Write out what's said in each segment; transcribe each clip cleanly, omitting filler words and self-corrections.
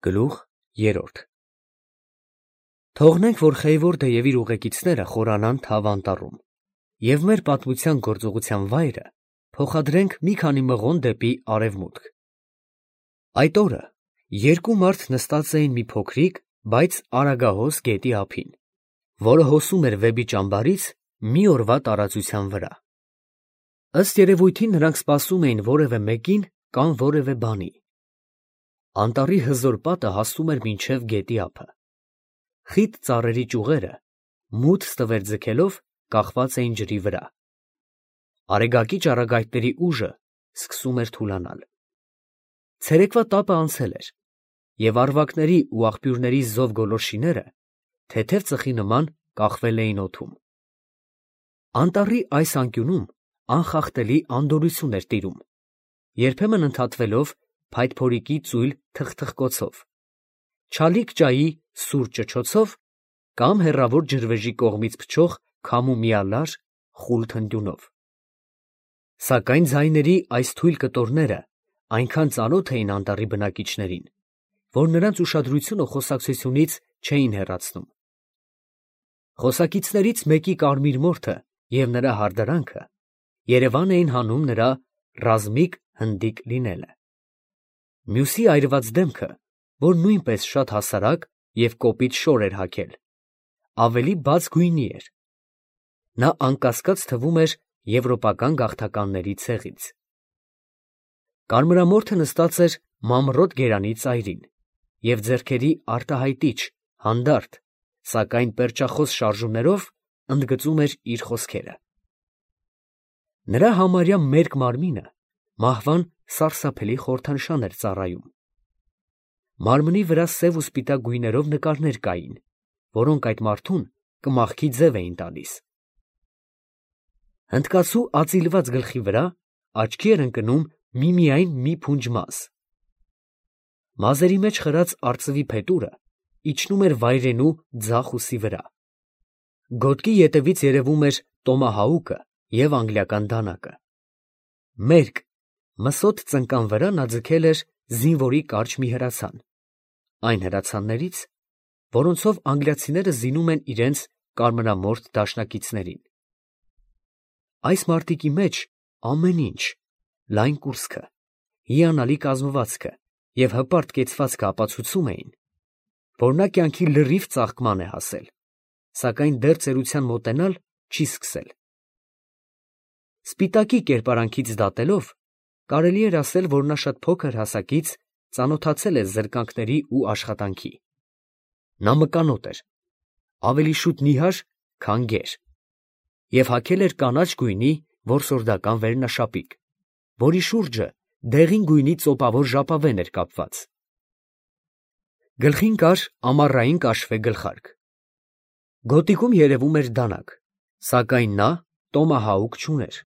Գլուխ 3 Թողնենք, որ Խեյվորդը և իր ուղեկիցները խորանան Թավ անտառում և մեր պատմության գործուղության վայրը փոխադրենք մի քանի մղոն դեպի արևմուտք։ Այդ օրը երկու մարդ նստած էին մի փոքրիկ, բայց արագահոս գետի ափին, որը հոսում էր Վեպի ճամբարից մի օրվա տարածության վրա։ Ըստ երևույթին նրանք սպասում էին որևէ մեկին կամ որևէ բանի։ Անտառի հզոր պատը հասնում էր մինչև գետի ափը։ Խիտ ծառերի ճյուղերը, մութ ստվեր ձգելով, կախված էին ջրի վրա։ Արեգակի ճառագայթների ուժը սկսում էր թուլանալ։ Ցերեկվա տապը անցել էր, և առվակների ու աղբյուրների զով գոլորշիները թեթև ծխի նման կախվել էին օդում։ Անտառի այս անկյունում անխախտելի անդորրություն էր տիրում, երբեմն ընդհատվելով փայտփորիկի ծույլ թխթխկոցով, չալիք ջայի սուր ճչոցով կամ հեռավոր ջրվեժի կողմից փչող քամու միալար խուլ թնդյունով։ Սակայն ձայների այս թույլ կտորները այնքան ծանոթ էին անտառի բնակիչներին, որ նրանց ուշադրությունը խոսակցությունից չէին հեռացնում։ Խոսակիցներից մեկի կարմիր մորթը և նրա հարդարանքը երևան էին հանում նրա ռազմիկ հնդիկ լինելը։ Մյուսի այրված դեմքը, որ նույնպես շատ հասարակ և կոպիտ շոր էր հագել, ավելի բաց գույնի էր։ Նա անկասկած թվում էր եվրոպական գաղթականների ցեղից։ Կարմրամորթը նստած էր մամռոտ գերանի ծայրին և ձեռքերի արտահայտիչ, հանդարտ, սակայն պերճախոս շարժումներով ընդգծում էր իր խոսքերը։ Նրա համարյա մերկ մարմինը մահվան սարսափելի խորհրդանշան էր ծառայում։ Մարմնի վրա սև ու սպիտակ գույներով նկարներ կային, որոնք այդ մարդուն կմախքի ձև էին տալիս։ Հնդկացու ածիլված գլխի վրա աչքի էր ընկնում միմիայն մի փունջ մազ։ Մազերի մեջ խրած արծվի փետուրը իջնում էր վայրենու ձախ ուսի վրա։ Գոտկի ետևից երևում էր տոմահաուկը և անգլիական դանակը։ Մերկ, մսոտ ծնկան վրա նա ձգել էր զինվորի կարճ մի հրացան, այն հրացաններից, որոնցով անգլիացիները զինում են իրենց կարմրամորթ դաշնակիցներին։ Այս մարտիկի մեջ ամեն ինչ, լայն կուրծքը, հիանալի կազմվածքը և հպարտ կեցվածքը ապացուցում էին, որ նա կյանքի լրիվ ծաղկման է հասել, սակայն դեռ ծերության մոտենալ չի սկսել։ Սպիտակի կերպարանքից դատելով, կարելի էր ասել, որ նա շատ փոքր հասակից ծանոթացել է զրկանքների ու աշխատանքի։ Նա մկանոտ էր, ավելի շուտ նիհար, քան գեր, և հագել էր կանաչ գույնի որսորդական վերնաշապիկ, որի շուրջը դեղին գույնի ծոպավոր ժապավեն էր կապված։ Գլխին կար ամառային կաշվե գլխարկ։ Գոտիքում երևում էր դանակ, սակայն նա տոմահաուկ չուներ։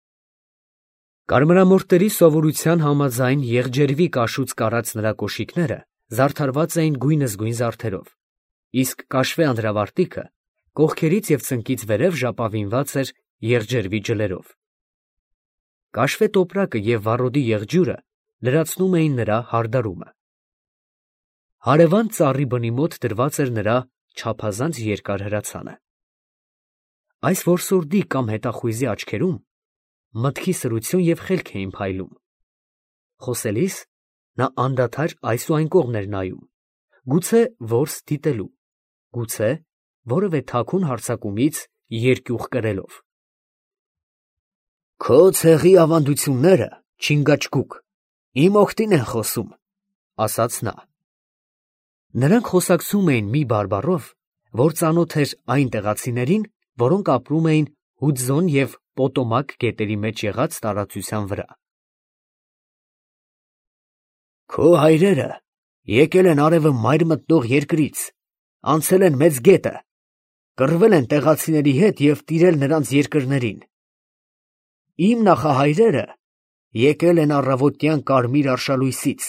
Կարմրամորթերի սովորության համաձայն եղջերվի կաշուց կարած նրա կոշիկները զարդարված էին գույնզգույն զարդերով, իսկ կաշվե անդրավարտիքը կողքերից և ծնկից վերև ժապավինված էր եղջերվի ջլերով։ Կաշվե տոպրակը և վառոդի եղջյուրը լրացնում էին նրա հարդարումը։ Հարևան ծառի բնի մոտ դրված էր նրա չափազանց երկար հրացանը։ Այս որսորդի կամ հետախույզի աչքերում մտքի սրություն և խելք էին փայլում։ Խոսելիս նա անդադար այս ու այն կողմ էր նայում, գուցե որս դիտելու, գուցե որևէ թաքուն հարձակումից երկյուղ կրելով։ «Քո ցեղի ավանդությունները, Չինգաչգուկ, իմ օգտին են խոսում», ֊ ասաց նա։ Նրանք խոսակցում էին մի բարբառով, որ ծանոթ էր այն տեղացիներին, որոնք ապրում էին Հուդզոն և Պոտոմակ գետերի մեջ եղած տարածության վրա։ «Քո հայրերը եկել են արևը մայր մտնող երկրից, անցել են Մեծ գետը, կռվել են տեղացիների հետ և տիրել նրանց երկրներին։ Իմ նախահայրերը եկել են առավոտյան կարմիր արշալույսից,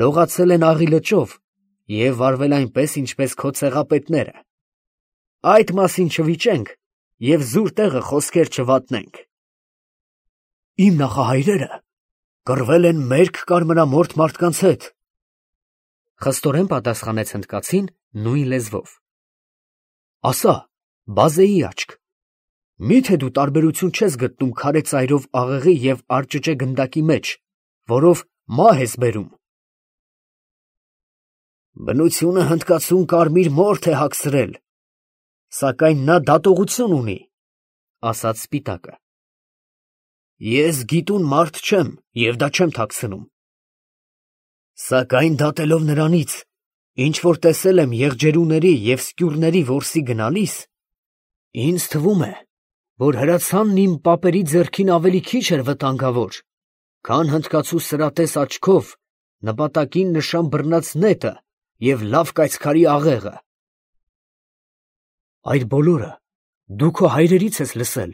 լողացել են Աղի լճով և վարվել այնպես, ինչպես քո ցեղապետները։ Այդ մասին չվիճենք և զուր տեղը խոսքեր չվատնենք։ Իմ նախահայրերը կռվել են մերկ կարմրամորթ մարդկանց հետ, Խստորեն պատասխանեց հնդկացին նույն լեզվով։ Ասա, բազեի աչք, միթե դու տարբերություն չես գտնում քարե ծայրով աղեղի և արճճե գնդակի մեջ, որով մահ ես բերում։ Բնությունը հնդկացուն կարմիր մորթ է հագցրել, սակայն նա դատողություն ունի, ասաց սպիտակը։ Ես գիտուն մարդ չեմ և դա չեմ թաքցնում։ Սակայն դատելով նրանից, ինչ որ տեսել եմ եղջերուների և սկյուրների որսի գնալիս, ինձ թվում է, որ հրացանն իմ պապերի ձեռքին ավելի քիչ էր վտանգավոր, քան հնդկացու սրատես աչքով նպատակին նշան բռնած նետը և լավ կայծքարի աղեղը։ Այդ բոլորը դու քո հայրերից ես լսել,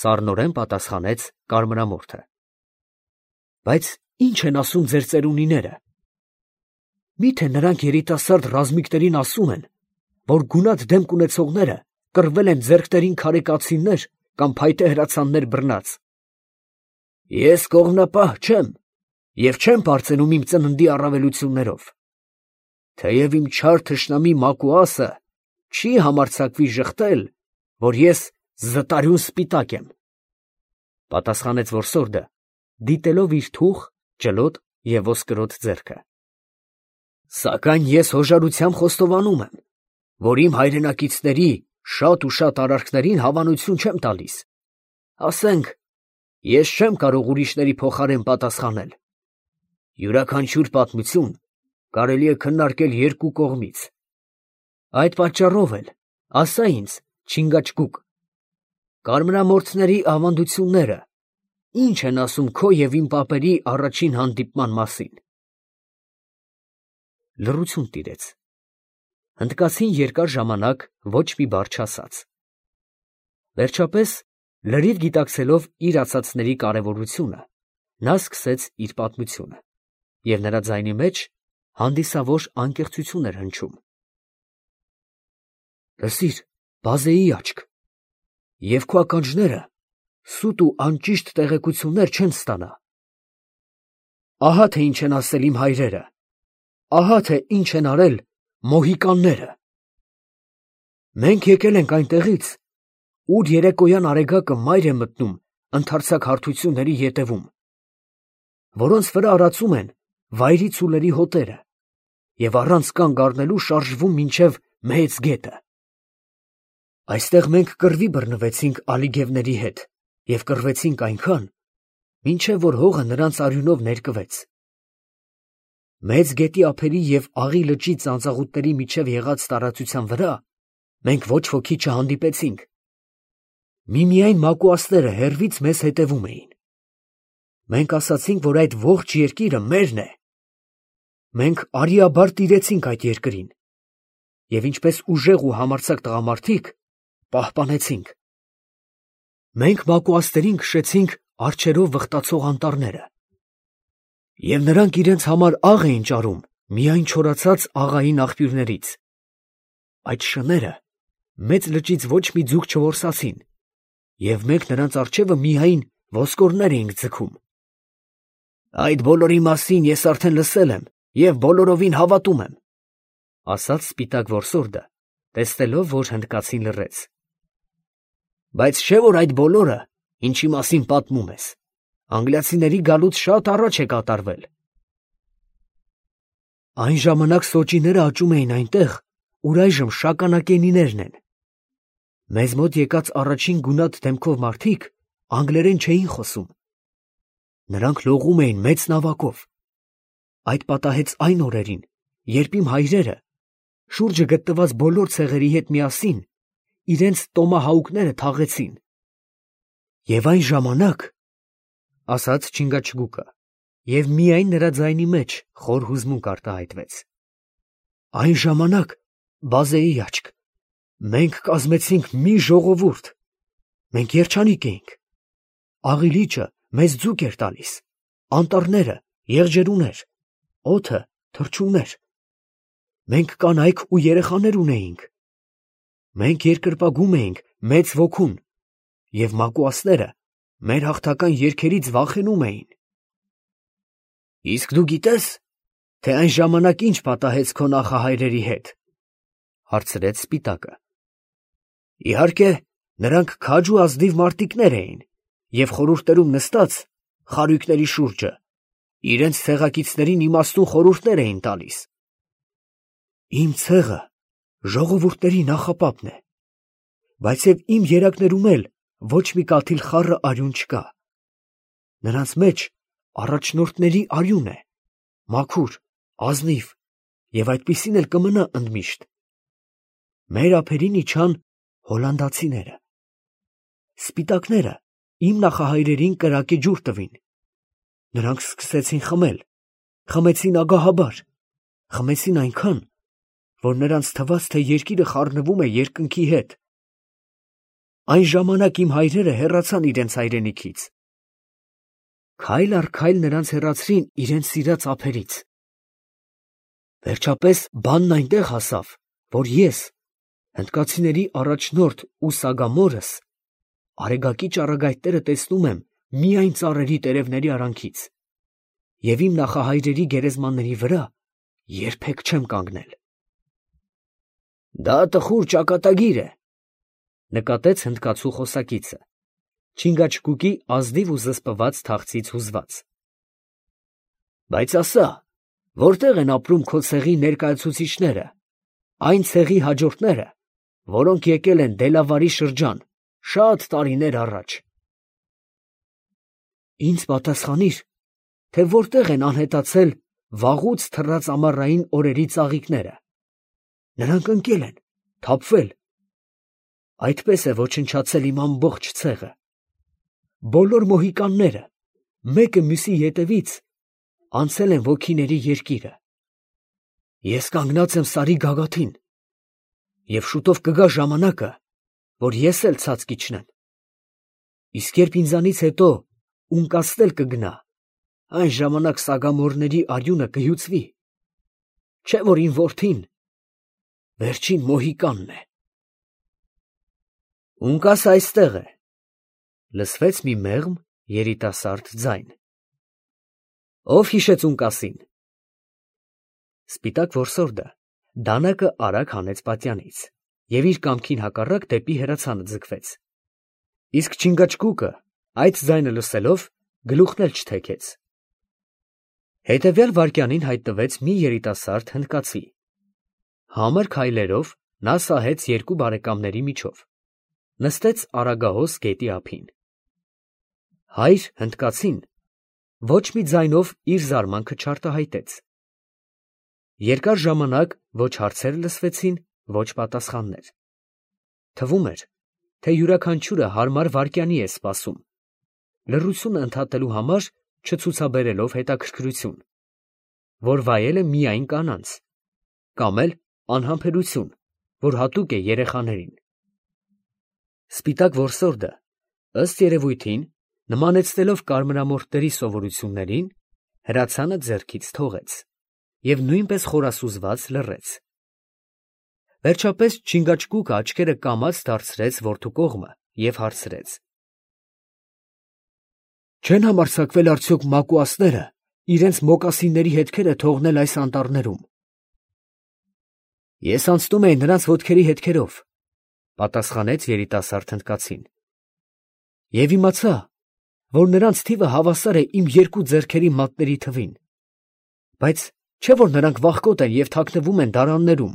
սառնորեն պատասխանեց կարմրամորթը։ Բայց ի՞նչ են ասում ձեր ծերունիները։ Միթե նրանք երիտասարդ ռազմիկներին ասում են, որ գունատ դեմք ունեցողները կռվել են ձեռքներին քարե կացիններ կամ փայտե հրացաններ բռնած։ Ես կողմնապահ չեմ և չեմ պարծենում իմ ծննդի առավելություններով, թեև իմ չար թշնամի Մակուասը չի համարձակվի ժխտել, որ ես զտարյուն սպիտակ եմ, պատասխանեց որսորդը, դիտելով իր թուխ, ջլոտ և ոսկրոտ ձեռքը։ Սակայն ես հոժարությամբ խոստովանում եմ, որ իմ հայրենակիցների շատ ու շատ արարքներին հավանություն չեմ տալիս։ Ասենք, ես չեմ կարող ուրիշների փոխարեն պատասխանել։ Յուրաքանչյուր պատմություն կարելի է քննարկել երկու կողմից։ Այդ պատճառով էլ, ասա ինձ, Չինգաչգուկ, կարմրամորթների ավանդությունները ի՞նչ են ասում քո և իմ պապերի առաջին հանդիպման մասին։ Լռություն տիրեց։ Հնդկացին երկար ժամանակ ոչ մի բառ չասաց։ Վերջապես, լրիվ գիտակցելով իր ասածների կարևորությունը, նա սկսեց իր պատմությունը, և նրա ձայնի մեջ հանդիսավոր անկեղծություն էր հնչում։ Լսիր, բազեի աչք, և քո ականջները սուտ ու անճիշտ տեղեկություններ չեն ստանա։ Ահա թե ինչ են ասել իմ հայրերը, ահա թե ինչ են արել մոհիկանները։ Մենք եկել ենք այնտեղից, ուր երեկոյան արեգակը մայր է մտնում ընդարձակ հարթությունների ետևում, որոնց վրա արածում են վայրի ցուլերի հոտերը և առանց կանգ առնելու շարժվում մինչև Մեծ գետը։ Այստեղ մենք կռվի բռնվեցինք ալիգևների հետ և կռվեցինք այնքան, մինչև որ հողը նրանց արյունով ներկվեց։ Մեծ գետի ափերի և Աղի լճի ծանծաղուտների միջև եղած տարածության վրա մենք ոչ ոքի չհանդիպեցինք։ Միմիայն մակուասները հեռվից մեզ հետևում էին։ Մենք ասացինք, որ այդ ողջ երկիրը մերն է։ Մենք արիաբար տիրեցինք այդ երկրին և ինչպես ուժեղ ու համարձակ տղամարդիկ պահպանեցինք։ Մենք մակուասներին քշեցինք արջերով վխտացող անտառները, և նրանք իրենց համար աղ էին ճարում միայն չորացած աղային աղբյուրներից։ Այդ շները մեծ լճից ոչ մի ձուկ չորսացին, և մենք նրանց առջևը միայն ոսկորներ էինք ձգում։ Այդ բոլորի մասին ես արդեն լսել եմ և բոլորովին հավատում եմ, ասաց սպիտակ որսորդը, տեսնելով, որ հնդկացին լռեց։ Բայց չէ՞ որ այդ բոլորը, ինչի մասին պատմում ես, անգլիացիների գալուց շատ առաջ է կատարվել։ Այն ժամանակ սոճիները աճում էին այնտեղ, ուր այժմ շագանակենիներն են։ Մեզ մոտ եկած առաջին գունատ դեմքով մարդիկ անգլերեն չէին խոսում։ Նրանք լողում էին մեծ նավակով։ Այդ պատահեց այն օրերին, երբ իմ հայրերը շուրջը գտնված բոլոր ցեղերի հետ միասին իրենց տոմահաուկները թաղեցին։ Եվ այն ժամանակ, ասաց Չինգաչգուկը, և միայն նրա ձայնի մեջ խոր հուզմունք արտահայտվեց, այն ժամանակ, բազեի աչք, մենք կազմեցինք մի ժողովուրդ, մենք երջանիկ էինք, Աղի լիճը մեզ ձուկ էր տալիս, անտառները եղջերուներ, օդը թռչուններ, մենք կանայք ու երեխաներ ունեինք, մենք երկրպագում էինք մեծ ոգուն, և մակուասները մեր հաղթական երգերից վախենում էին։ Իսկ դու գիտե՞ս, թե այն ժամանակ ինչ պատահեց քո նախահայրերի հետ, հարցրեց Սպիտակը։ Իհարկե, նրանք քաջ ու ազնիվ մարտիկներ էին և խորհուրդներում նստած խարույկների շուրջը իրենց ցեղակիցներին իմաստուն խորհուրդներ էին տալիս։ Իմ ցեղը ժողովուրդների նախապապն է, բայց և իմ երակներում էլ ոչ մի կաթիլ խառը արյուն չկա։ Նրանց մեջ առաջնորդների արյուն է, մաքուր, ազնիվ, և այդպիսին էլ կմնա ընդմիշտ։ Մեր ափերին իջան հոլանդացիները։ Սպիտակները իմ նախահայրերին կրակե ջուր տվին։ Նրանք սկսեցին խմել, խմեցին ագահաբար, խմեցին այնքան, որ նրանց թվաց, թե երկիրը խառնվում է երկնքի հետ։ Այն ժամանակ իմ հայրերը հեռացան իրենց հայրենիքից։ Քայլ առ քայլ նրանց հեռացրին իրենց սիրած ափերից։ Վերջապես բանն այնտեղ հասավ, որ ես, հնդկացիների առաջնորդ ու սագամորս, արեգակի ճառագայթները տեսնում եմ միայն ծառերի տերևների արանքից, և իմ նախահայրերի գերեզմանների վրա երբեք չեմ կանգնել։ Դա տխուր ճակատագիր է, նկատեց հնդկացու խոսակիցը, Չինգաչգուկի ազնիվ ու զսպված թախծից հուզված։ Բայց ասա, որտեղ են ապրում քո ցեղի ներկայացուցիչները, այն ցեղի հաջորդները, որոնք եկել են Դելավարի շրջան շատ տարիներ առաջ։ Ինձ պատասխանիր, թե որտեղ են անհետացել վաղուց թռած ամառային օրերի ծաղիկները։ Նրանք ընկել են, թափվել։ Այդպես է ոչնչացել իմ ամբողջ ցեղը։ Բոլոր մոհիկանները, մեկը մյուսի ետևից, անցել են ոգիների երկիրը։ Ես կանգնած եմ Սարի գագաթին, և շուտով կգա ժամանակը, որ ես էլ ցած կիջնեմ։ Իսկ երբ ինձանից հետո ունկասն կգնա, այն ժամանակ սագամորների արյունը կհյուծվի, չէ՞ որ իմ որդին վերջին մոհիկանն է։ Ունկասը այստեղ է, լսվեց մի մեղմ երիտասարդ ձայն։ Ո՞վ հիշեց ունկասին։ Սպիտակ որսորդը դանակը արագ հանեց պատյանից և իր կամքին հակառակ դեպի հրացանը ձգվեց։ Իսկ Չինգաչգուկը այդ ձայնը լսելով գլուխն էլ չթեքեց։ Հետևյալ վայրկյանին հայտնվեց մի երիտասարդ հնդկացի։ Համր քայլերով նա սահեց երկու բարեկամների միջով, նստեց Արագահոս գետի ափին։ Հայր հնդկացին ոչ մի ձայնով իր զարմանքը չարտահայտեց։ Երկար ժամանակ ոչ հարցեր լսվեցին, ոչ պատասխաններ։ Թվում էր, թե յուրաքանչյուրը հարմար վայրկյանի է սպասում, լռությունը ընդհատելու համար չցուցաբերելով հետաքրքրություն, որ վայել է միայն կանանց, կամ էլ անհամբերություն, որ հատուկ է երեխաներին։ Սպիտակ որսորդը, ըստ երևույթին, նմանեցնելով կարմրամորթների սովորություններին, հրացանը ձեռքից թողեց և նույնպես խորասուզված լռեց։ Վերջապես Չինգաչգուկը աչքերը կամաց դարձրեց որդու կողմը և հարցրեց. Չեն համարձակվել արդյոք մակուասները իրենց մոկասինների հետքերը թողնել այս անտառներում։ Ես անցնում էի նրանց ոտքերի հետքերով, պատասխանեց երիտասարդ հնդկացին, և իմացա, որ նրանց թիվը հավասար է իմ երկու ձեռքերի մատների թվին, բայց չէ՞ որ նրանք վախկոտ են և թաքնվում են դարաններում։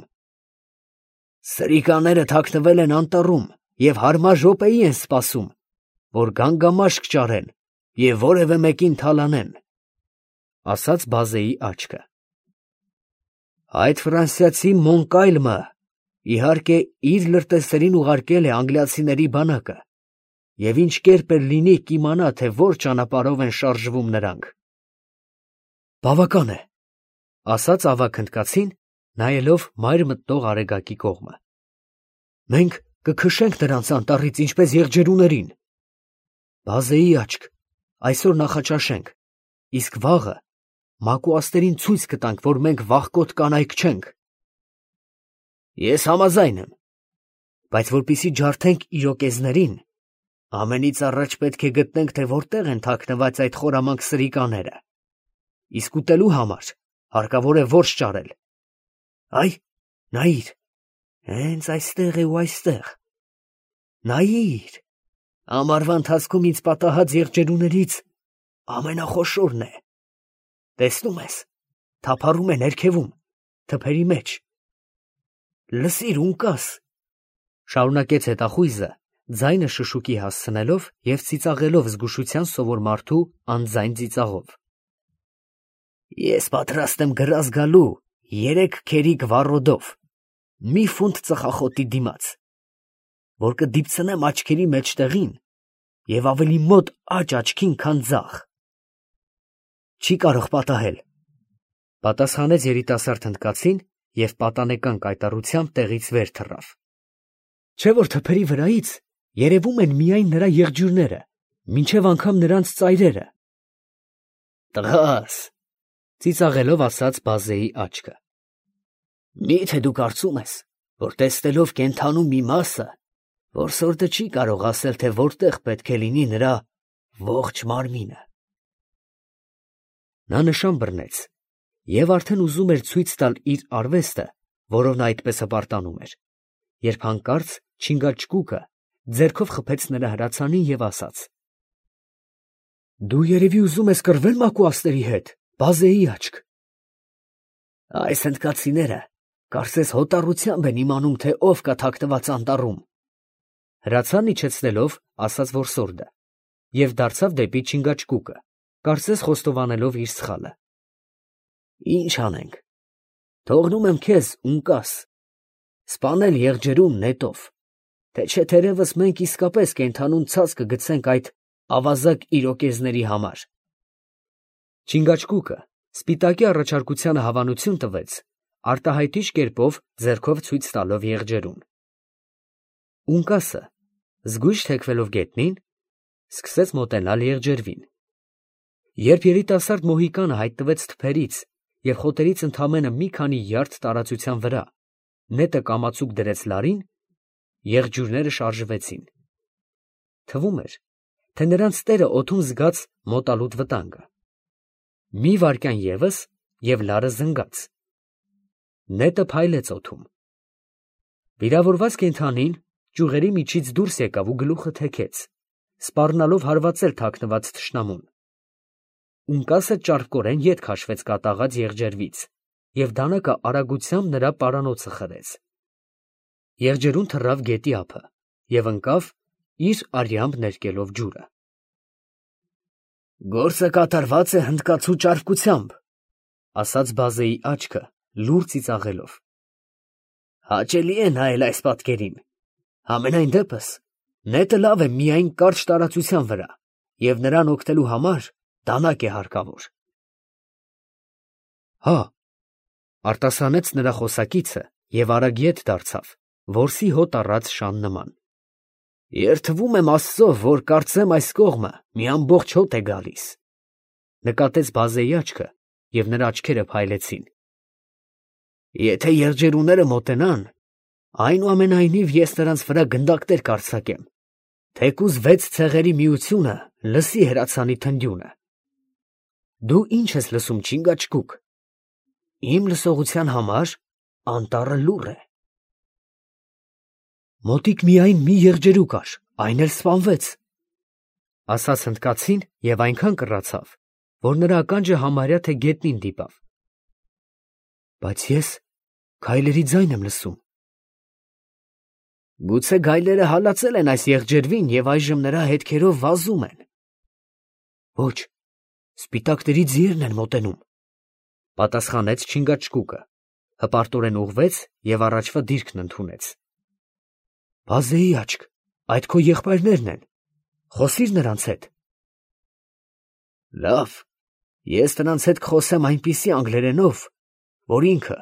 Սրիկաները թաքնվել են անտառում և հարմար րոպեի են սպասում, որ գան գամաշկ ճարեն և որևէ մեկին թալանեն, ասաց բազեի աչքը։ Այդ ֆրանսիացի Մոնկայլմը, իհարկե, իր լրտեսերին ուղարկել է անգլիացիների բանակը, և ինչ կերպ էլ լինի կիմանա, թե որ ճանապարհով են շարժվում նրանք։ Բավական է, ասաց ավագ հնդկացին, նայելով մայր մտնող արեգակի կողմը։ Մենք կքշենք նրանց անտառից, ինչպես եղջերուներին։ Բազեի աչք, այսօր նախաճաշենք, իսկ վաղը մակուասներին ցույց կտանք, որ մենք վախկոտ կանայք չենք։ Ես համաձայն եմ, բայց որպեսզի ջարդենք իրոկեզներին, ամենից առաջ պետք է գտնենք, թե որտեղ են թաքնված այդ խորամանկ սրիկաները, իսկ ուտելու համար հարկավոր է որս ճարել։ Այ, նայիր, հենց այստեղ է ու այստեղ։ Նայիր, ամառվա ընթացքում ինձ պատահած եղջերուներից ամենախոշորն է։ Տեսնում ես, թափառում է ներքևում, թփերի մեջ։ Լսիր, ունկաս, շարունակեց հետախույզը, ձայնը շշուկի հասցնելով և ծիծաղելով զգուշության սովոր մարդու անձայն ծիծաղով։ Ես պատրաստ եմ գրազ գալու 3 քերիկ վառոդով, մի ֆունտ ծխախոտի դիմաց, որ կդիպցնեմ աչքերի մեջտեղին և ավելի մոտ աջ աչքին, քան ձախ։ Չի կարող պատահել, պատասխանեց երիտասարդ հնդկացին և պատանեկան կայտառությամբ տեղից վեր թռավ։ Չէ՞ որ թփերի վրայից երևում են միայն նրա եղջյուրները, մինչև անգամ նրանց ծայրերը։ Տղաս, ծիծաղելով ասաց Բազեի աչքը, մի՞թե դու կարծում ես, որ տեսնելով կենդանու մի մասը, որսորդը չի կարող ասել, թե որտեղ պետք է լինի նրա ողջ մարմինը։ Նա նշան բռնեց և արդեն ուզում էր ցույց տալ իր արվեստը, որով նա այդպես հպարտանում էր, երբ հանկարծ Չինգաչգուկը ձեռքով խփեց նրա հրացանին և ասաց. Դու երևի ուզում ես կռվել մակուասների հետ, Բազեի աչք։ Այս հնդկացիները կարծես հոտառությամբ են իմանում, թե ով կա թաքնված անտառում, հրացան իջեցնելով ասաց որսորդը և դարձավ դեպի Չինգաչգուկը, կարծես խոստովանելով իր սխալը։ Ինչ անենք, թողնում եմ քեզ, ունկաս, սպանել եղջերուն նետով, թե չէ թերևս մենք իսկապես կենդանուն ցած կգցենք այդ ավազակ իրոկեզների համար։ Չինգաչգուկը սպիտակի առաջարկությանը հավանություն տվեց, արտահայտիչ կերպով ձեռքով ցույց տալով եղջերուն։ Ունկասը, զգույշ թեքվելով գետնին, սկսեց մոտենալ եղջերվին։ Երբ երիտասարդ մոհիկանը հայտնվեց թփերից և խոտերից ընդամենը մի քանի յարդ տարածության վրա, նետը կամացուկ դրեց լարին, եղջյուրները շարժվեցին։ Թվում էր, թե նրանց տերը օդում զգաց մոտալուտ վտանգը։ Մի վայրկյան ևս, և լարը զնգաց։ Նետը փայլեց օդում։ Վիրավորված կենդանին ճյուղերի միջից դուրս եկավ ու գլուխը թեքեց, սպառնալով հարվածել թաքնված թշնամուն։ Ունկասը ճարպկորեն ետ քաշվեց կատաղած եղջերվից և դանակը արագությամբ նրա պարանոցը խրեց։ Եղջերուն թռավ գետի ափը և ընկավ, իր արյամբ ներկելով ջուրը։ Գործը կատարված է հնդկացու ճարպկությամբ, ասաց Բազեի աչքը, լուռ ծիծաղելով։ Հաճելի է նայել այս պատկերին։ Համենայն դեպս, նետը լավ է միայն կարճ տարածության վրա, և նրան օգնելու համար դանակ է հարկավոր։ Հա, արտասանեց նրա խոսակիցը և արագ ետ դարձավ, որսի հոտ առած շան նման։ Երդվում եմ Աստծո, որ կարծեմ այս կողմը մի ամբողջ հոտ է գալիս, նկատեց Բազեի աչքը, և նրա աչքերը փայլեցին։ Եթե եղջերուները մոտենան, այնուամենայնիվ ես նրանց վրա գնդակներ կարձակեմ, թեկուզ 6 ցեղերի միությունը լսի հրացանի թնդյունը։ Դու ի՞նչ ես լսում, Չինգաչգուկ։ Իմ լսողության համար անտառը լուռ է։ Մոտիկ միայն մի եղջերու կար, այն էլ սպանվեց, ասաց հնդկացին և այնքան կռացավ, որ նրա ականջը համարյա թե գետնին դիպավ։ Բայց ես գայլերի ձայն եմ լսում։ Գուցե գայլերը հալածել են այս եղջերվին և այժմ նրա հետքերով վազում են։ Ոչ, սպիտակների ձիերն են մոտենում, պատասխանեց Չինգաչգուկը, հպարտորեն ուղղվեց և առաջվա դիրքն ընդունեց։ Բազեի աչք, այդ քո եղբայրներն են, խոսի՛ր նրանց հետ։ Լավ, ես նրանց հետ կխոսեմ այնպիսի անգլերենով, որ ինքը,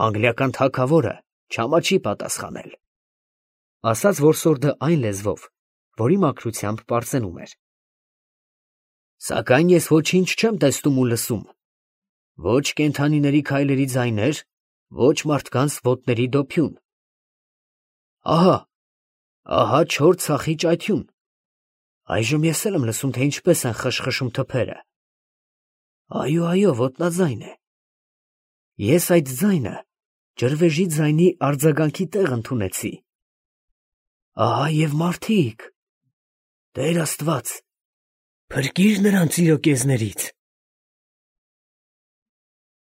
անգլիական թագավորը, չամաչի պատասխանել, ասաց որսորդը այն լեզվով, որի մաքրությամբ պարծենում էր։ Սակայն ես ոչինչ չեմ տեսնում ու լսում, ոչ կենդանիների քայլերի ձայներ, ոչ մարդկանց ոտների դոփյուն։ Ահա չոր ցախի ճայթյուն։ Այժմ ես էլ եմ լսում, թե ինչպես են խշխշում թփերը։ Այո, ոտնաձայն է։ Ես այդ ձայնը ջրվեժի ձայնի արձագանքի տեղ ընդունեցի։ Ահա և մարդիկ… Տեր Աստված, փրկիր նրանց իրոկեզներից։